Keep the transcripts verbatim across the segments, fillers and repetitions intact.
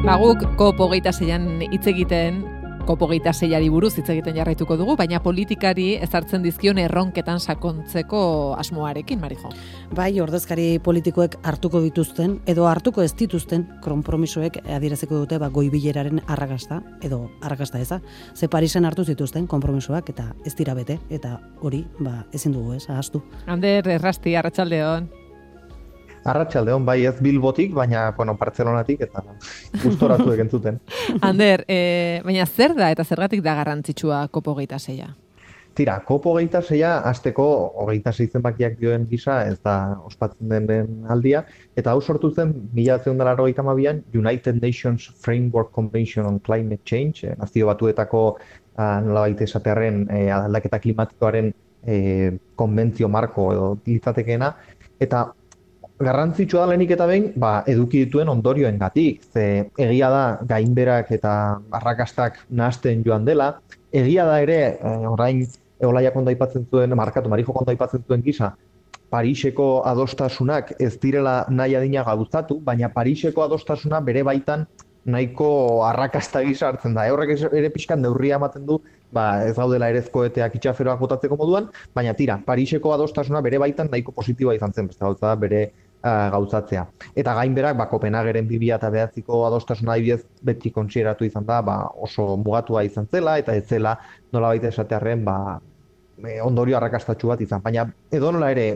Ba, guk kop hogeita seian hitz egiten, kop hogeita seiari buruz hitz egiten jarraituko dugu, baina politikari ezartzen dizkion erronketan sakontzeko asmoarekin, Marijo. Bai, ordezkari politikoek hartuko dituzten, edo hartuko ez dituzten, konpromisoek adieraziko dute ba, goibileraren arrakasta, edo arrakasta eza. Ze Parisen hartu zituzten konpromisoak eta ez dira bete, eta hori ba, ezin dugu ez, ahaztu. Ander, errasti, arratsaldeon. Arratsaldeon, bai ez Bilbotik, baina bueno, Bartzelonatik eta gustoratu egentzuten. Ander, e, baina zer da eta zergatik da garrantzitsua kop hogeita seia? Tira, kop hogeita seia hasteko hogeita sei zenbakiak dioen gisa ez da ospatzen den aldia, eta hau sortu zen mila bederatziehun eta laurogeita hamabian United Nations Framework Convention on Climate Change, eh, nazio batuetako ah, nolabait esatearren eh, aldaketa klimatikoaren eh, konbentzio marko edo litzatekeena, eta garrantzitsua da lehenik eta behin, ba, eduki dituen ondorioengatik. Ze egia da gainberak eta arrakastak nahasten joan dela, egia da ere, eh, orain Eolaiak ondo aipatzen zuen, markatu, Marijok ondo aipatzen zuen gisa, Pariseko adostasunak ez direla nahi adina gauzatu, baina Pariseko adostasuna bere baitan nahiko arrakasta gisa hartzen da. Horrek ere pixkan neurria ematen du, ba, ez gaudela ere koheteak itxaferoak botatzeko moduan, baina tira, Pariseko adostasuna bere baitan nahiko positiboa izan zen, beste gauza da bere uh, gauzatzea. Eta gainberak, ba, Kopenhageren bi mila bederatziko adostasuna adibidez beti kontsideratu izan da, ba, oso mugatua izan zela, eta ez zela nolabait esatearren, ba, ondorio arrakastatsu bat izan. Baina edonola ere,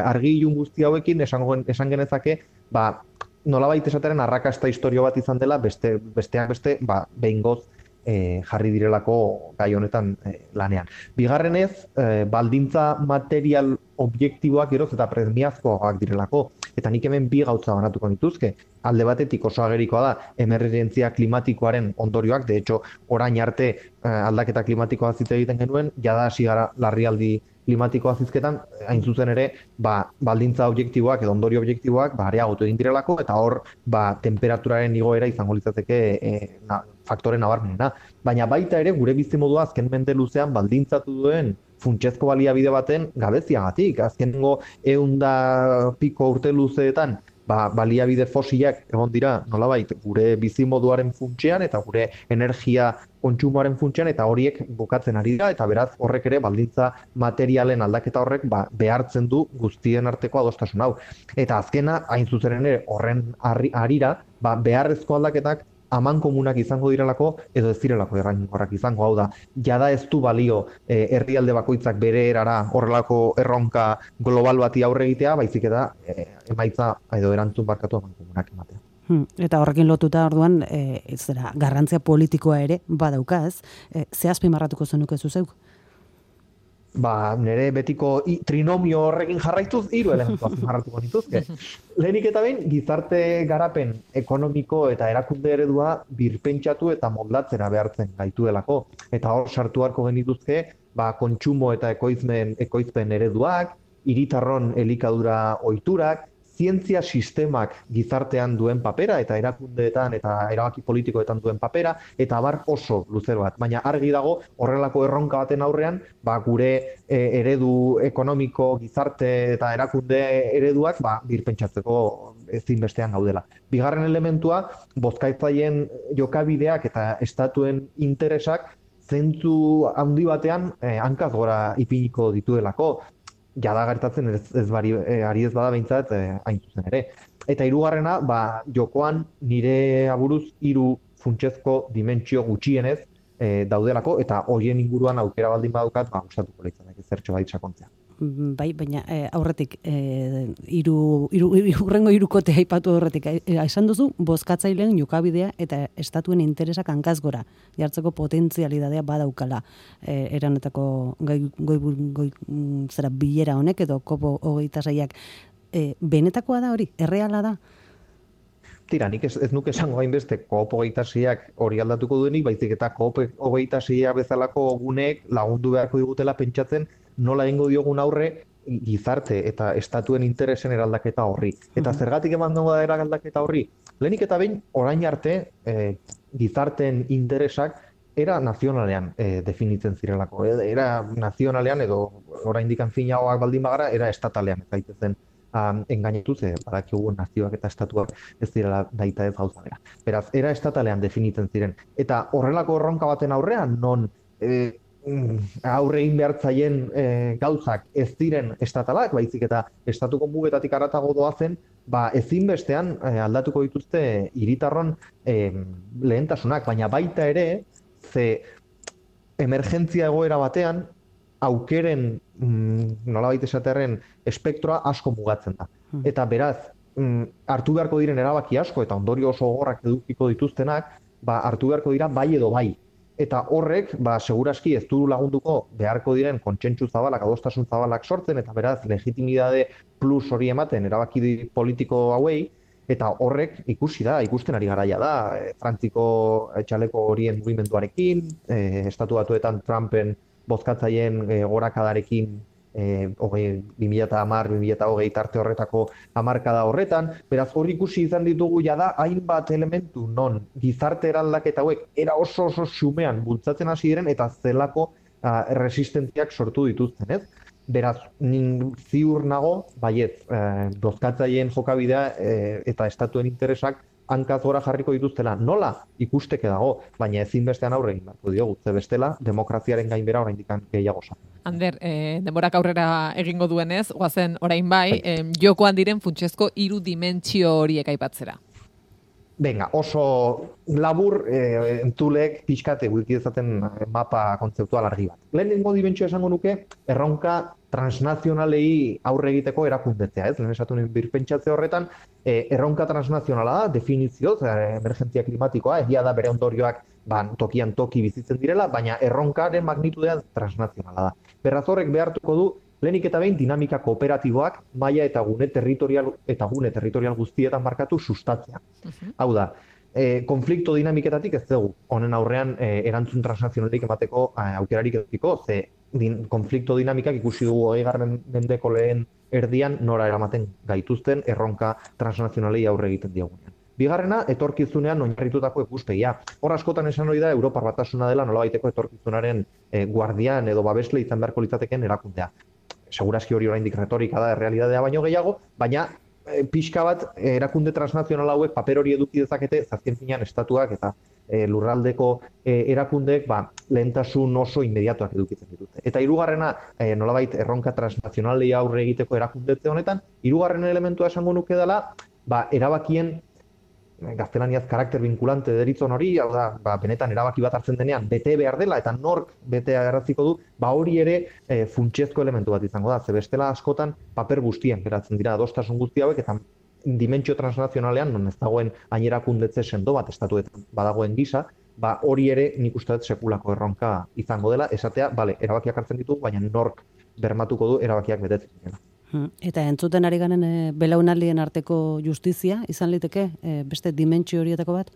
argi ilun guzti hauekin esan, esan genezake, ba, nolabait esateren arrakasta historio bat izan dela, beste, besteak beste, ba, behingoz e, jarri direlako gai honetan e, lanean. Bigarrenez, e, baldintza material objektiboak geroz eta premiazkoak direlako, eta nik hemen bi gauza banatuko nituzke. Alde batetik oso agerikoa da emergentzia klimatikoaren ondorioak, de hecho, orain arte e, aldaketa klimatikoa zitze egiten genuen, jada hasi gara larrialdi klimatikoa zizketan, hain zuzen ere, ba, baldintza objektiboak edo ondorio objektiboak ba, areagotu egin direlako, eta hor ba, temperaturaren igoera izango litzateke e, na, faktore nabarmenena. Baina baita ere, gure bizimodua azken mende luzean baldintzatu duen funtsezko baliabide baten gabeziagatik. Azkenengo ehunda piko urte luzeetan, ba, baliabide fosilak egon dira nolabait gure bizimoduaren funtsean eta gure energia kontsumoaren funtsean, eta horiek bukatzen ari dira, eta beraz horrek ere baldintza materialen aldaketa horrek ba, behartzen du guztien arteko adostasun hau. Eta azkena, hain zuzen ere horren harira, ba, beharrezko aldaketak aman komunak izango direlako edo ez direlako errainkorrak izango, hau da, jada ez du balio eh, herrialde bakoitzak bere erara horrelako erronka global bati aurre egitea, baizik eta eh, emaitza edo erantzun barkatu aman komunak ematea. Hmm, eta horrekin lotuta orduan, e, ez dira, garrantzia politikoa ere badauka, ez? E, ze azpimarratuko zenuke zuzeuk? Ba, nire betiko i, trinomio horrekin jarraituz, hiru elementu azpimarratuko nituzke. Lehenik eta behin, gizarte garapen ekonomiko eta erakunde eredua birpentsatu eta moldatzera behartzen gaituelako. Eta hor sartu harko genituzke, ba, kontsumo eta ekoizmen, ekoizpen ereduak, hiritarron elikadura ohiturak, zientzia sistemak gizartean duen papera eta erakundeetan eta erabaki politikoetan duen papera, eta abar oso luze bat. Baina argi dago horrelako erronka baten aurrean, ba, gure e, eredu ekonomiko, gizarte eta erakunde ereduak ba, birpentsatzeko ezinbestean gaudela. Bigarren elementua, bozkaitzaien jokabideak eta estatuen interesak zentzu handi batean eh, hankaz gora ipiniko dituelako. Jada gertatzen ez, ez bari, e, ari ez bada behintzat e, hain zuzen ere. Eta hirugarrena, ba, jokoan nire aburuz hiru funtsezko dimentsio gutxienez e, daudelako, eta horien inguruan aukera baldin badukat, ba, gustatuko litzateke zertxo bait sakontzea. Bai, baina e, aurretik, e, iru, iru, urrengo irukote aipatu aurretik, e, esan duzu, bozkatzaileen jokabidea eta estatuen interesak hankaz gora, jartzeko potentzialidadea badaukala e, eranetako goi, goi, goi, zera bilera honek edo kopo hogeita seiak. E, benetakoa da hori, erreala da? Tira, nik ez, ez nuke esango hainbeste kop hogeita seiak hori aldatuko duenik, baizik eta kop hogeita seia bezalako guneek lagundu beharko digutela pentsatzen nola egingo diogun aurre gizarte eta estatuen interesen eraldaketa horri. Eta zergatik eman dugu da eraldaketa horri? Lehenik eta behin, orain arte, e, gizarteen interesak era nazionalean e, definitzen zirelako. Era nazionalean edo oraindik finagoak baldin bagara, era estatalean ez daitezen um, engainatu, ze badakigu nazioak eta estatuak ez direla daita ez gauza bera. Beraz, era estatalean definitzen ziren. Eta horrelako erronka baten aurrean, non e, aurre egin behar zaien e, gauzak ez diren estatalak, baizik eta estatuko mugetatik haratago doazen, ba, ezinbestean e, aldatuko dituzte hiritarron e, lehentasunak, baina baita ere, ze emergentzia egoera batean, aukeren, mm, nolabait esaterren, espektroa asko mugatzen da. Eta beraz, mm, hartu beharko diren erabaki asko, eta ondorio oso gogorrak edukiko dituztenak, ba, hartu beharko dira bai edo bai. Eta horrek, ba, seguraski ez du lagunduko beharko diren kontsentsu zabalak, adostasun zabalak sortzen, eta beraz, legitimidade plus hori ematen erabaki politiko hauei, eta horrek ikusi da, ikusten ari garaia da, e, Frantziko txaleko horien mugimenduarekin, e, estatu batuetan Trumpen bozkatzaien e, gorakadarekin, e, bi mila hamar bi mila hogei tarte horretako hamarkada horretan, beraz hori ikusi izan ditugu jada hainbat elementu non gizarte eraldaketa hauek era oso oso xumean bultzatzen hasi diren eta zelako uh, resistentziak sortu dituzten, ez? Beraz, nin ziur nago, baiet, eh, bozkatzaileen jokabidea eh, eta estatuen interesak hankaz gora jarriko dituztela. Nola ikusteke dago, baina ezinbestean aurre egin beharko diogu, ze bestela demokraziaren gainbera oraindik gehiago sa. Ander, eh, denborak aurrera egingo duenez, goazen orain bai, eh, jokoan diren funtsezko hiru dimentsio horiek aipatzera. Venga, oso labur eh, entulek pixkate guiki dezaten mapa kontzeptual argi bat. Lehenengo dimentsio esango nuke, erronka transnazionalei aurre egiteko erakundetzea, ez? Lehen esatu nuen birpentsatze horretan, eh, erronka transnazionala da, definizioz, eh, emergentzia klimatikoa, egia da bere ondorioak ba, tokian toki bizitzen direla, baina erronkaren magnitudea transnazionala da. Beraz horrek behartuko du, lehenik eta behin dinamika kooperatiboak maila eta gune territorial eta gune territorial guztietan markatu sustatzea. Uh-huh. Hau da, e, konflikto dinamiketatik ez dugu, honen aurrean e, erantzun transnazionalik emateko e, aukerarik edukiko, ze din, konflikto dinamikak ikusi dugu hogeigarren mendeko lehen erdian nora eramaten gaituzten erronka transnazionalei aurre egiten diogunean. Bigarrena, etorkizunean oinarritutako ikuspegia. Hor askotan esan hori da, Europar Batasuna dela nolabaiteko etorkizunaren e, guardian edo babesle izan beharko litzateken erakundea. Segurazki hori oraindik retorika da, errealitatea baino gehiago, baina e, pixka bat erakunde transnazional hauek paper hori eduki dezakete, zazken finean estatuak eta e, lurraldeko e, erakundeek ba, lehentasun oso inmediatuak edukitzen dituzte. Eta hirugarrena, e, nolabait erronka transnazionalei aurre egiteko erakundetze honetan, hirugarren elementua esango nuke dela, ba, erabakien gaztelaniaz karakter vinculante deritzon hori, hau da, ba, benetan erabaki bat hartzen denean, bete behar dela eta nork betea erratziko du, ba hori ere e, funtsezko elementu bat izango da, ze bestela askotan paper guztien geratzen dira adostasun guzti hauek eta dimentsio transnazionalean, non ez dagoen ainerakundetze sendo bat estatuetan badagoen gisa, ba hori ere nik uste dut sekulako erronka izango dela, esatea, bale, erabakiak hartzen ditu, baina nork bermatuko du erabakiak betetzen dira. Eta entzuten ari garen e, belaunaldien arteko justizia, izan liteke e, beste dimentsio horietako bat?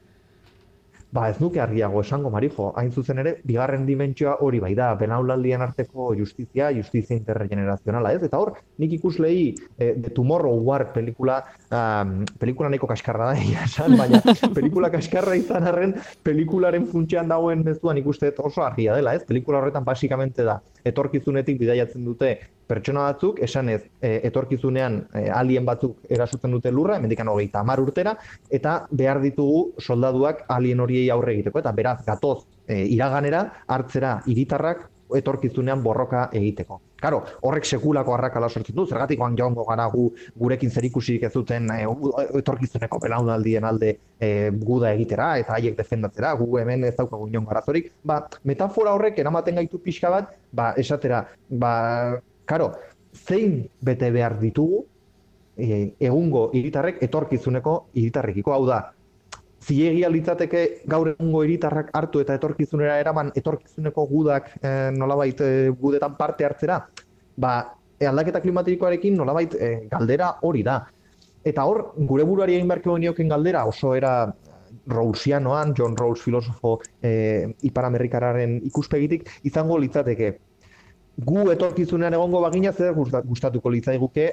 Ba ez nuke argiago esango, Marijo, hain zuzen ere, bigarren dimentsioa hori bai da, belaunaldien arteko justizia, justizia intergenerazionala, ez? Eta hor, nik ikuslei e, The Tomorrow War pelikula, um, pelikula nahiko kaskarra da, esan, baina pelikula kaskarra izan arren, pelikularen funtsean dagoen mezuan ikuste oso argia dela, ez? Pelikula horretan basikamente da, etorkizunetik bidaiatzen dute pertsona batzuk, esanez, e, etorkizunean e, alien batzuk erasotzen dute lurra, hemendikan hogeita hamar urtera, eta behar ditugu soldaduak alien horiei aurre egiteko, eta beraz, gatoz e, iraganera, hartzera hiritarrak etorkizunean borroka egiteko. Karo, horrek sekulako arrakala sortzen du, zergatik joango gara gu, gurekin zerikusirik ez duten e, etorkizuneko belaunaldien alde e, guda egitera, eta haiek defendatzera, gu hemen ez daukagu inongo arazorik. Ba, metafora horrek eramaten gaitu pixka bat, ba, esatera, ba, karo, zein bete behar ditugu e, egungo hiritarrek etorkizuneko hiritarrekiko, hau da, ziegia litzateke gaur egungo hiritarrak hartu eta etorkizunera eraman etorkizuneko gudak e, nolabait e, gudetan parte hartzera, ba, e, aldaketa klimatikoarekin nolabait e, galdera hori da. Eta hor, gure buruari egin beharko genioken galdera oso era Rawlsianoan, John Rawls filosofo e, Ipar-Amerikararen ikuspegitik, izango litzateke. Gu etorkizunean egongo bagina zer gustatuko litzaiguke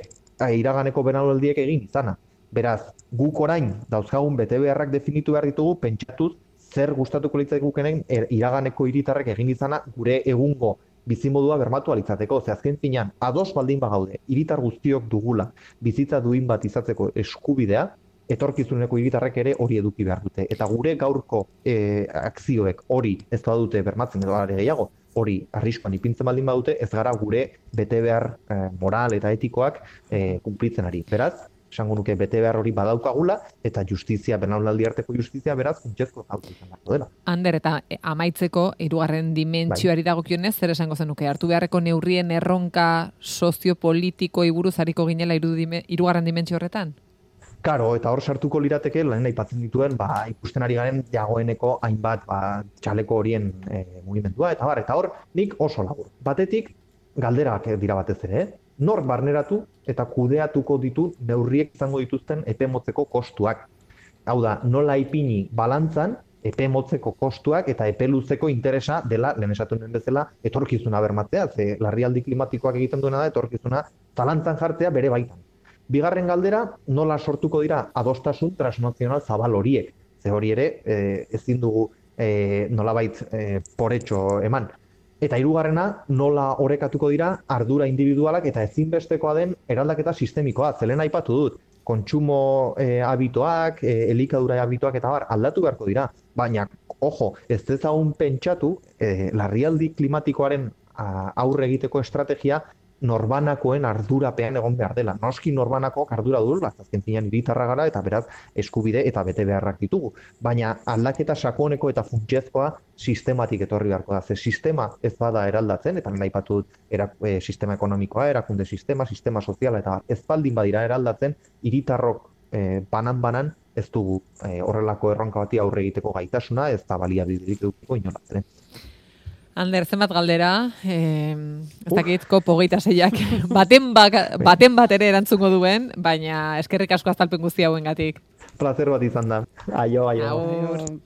iraganeko belaunaldiek egin izana. Beraz, guk orain dauzkagun bete beharrak definitu behar ditugu, pentsatuz zer gustatuko litzaigukenen iraganeko hiritarrek egin izana gure egungo bizimodua bermatu alitzateko. Ze azken finean, ados baldin bagaude, hiritar guztiok dugula bizitza duin bat izatzeko eskubidea, etorkizuneko hiritarrek ere hori eduki behar dute. Eta gure gaurko e, akzioek hori ez badute bermatzen edo are gehiago, hori arriskuan ipintzen baldin badute, ez gara gure bete behar e, moral eta etikoak e, kunplitzen ari. Beraz, esango nuke bete behar hori badaukagula, eta justizia, belaunaldi arteko justizia, beraz, funtsezko gauza izan beharko dela. Ander, eta amaitzeko, hirugarren dimentsioari bai. Dagokionez, zer esango zenuke, hartu beharreko neurrien erronka soziopolitikoi buruz hariko ginela hirugarren dimentsio horretan? Karo, eta hor sartuko lirateke, lehen aipatzen dituen, ba, ikusten ari garen jagoeneko hainbat ba, txaleko horien e, mugimendua, eta bar, eta hor, nik oso labur. Batetik, galderak dira batez ere, eh? Nor barneratu eta kudeatuko ditu neurriek izango dituzten epe motzeko kostuak. Hau da, nola ipini balantzan, epe motzeko kostuak eta epe luzeko interesa dela, lehen esatu nuen bezala, etorkizuna bermatzea, ze larrialdi klimatikoak egiten duena da, etorkizuna zalantzan jartzea bere baitan. Bigarren galdera, nola sortuko dira adostasun transnazional zabal horiek. Ze hori ere, e, ezin dugu e, nolabait e, poretxo eman. Eta hirugarrena, nola orekatuko dira ardura individualak eta ezinbestekoa den eraldaketa sistemikoa. Zelen aipatu dut, kontsumo e, habituak, e, elikadura habituak eta bar, aldatu beharko dira. Baina, ojo, ez dezagun pentsatu, e, larrialdi klimatikoaren a, aurre egiteko estrategia norbanakoen ardurapean egon behar dela. Noski norbanakoak ardura dugula, azken finean hiritarra gara eta beraz eskubide eta bete beharrak ditugu. Baina aldaketa sakoneko eta funtsezkoa sistematik etorri beharko da. Ze sistema ez bada eraldatzen, eta nena aipatu dut era, e, sistema ekonomikoa, erakunde sistema, sistema soziala, eta ez baldin badira eraldatzen, hiritarrok e, banan-banan ez dugu e, horrelako erronka bati aurre egiteko gaitasuna, ez da baliabiderik edukiko inolatzen. Ander, zenbat galdera, eh, ez dakit, kopo hogeita seiak, baten, baka, baten bat ere erantzungo duen, baina eskerrik asko azalpen guzti hauengatik. Plazer bat izan da. Aio, aio. Aur.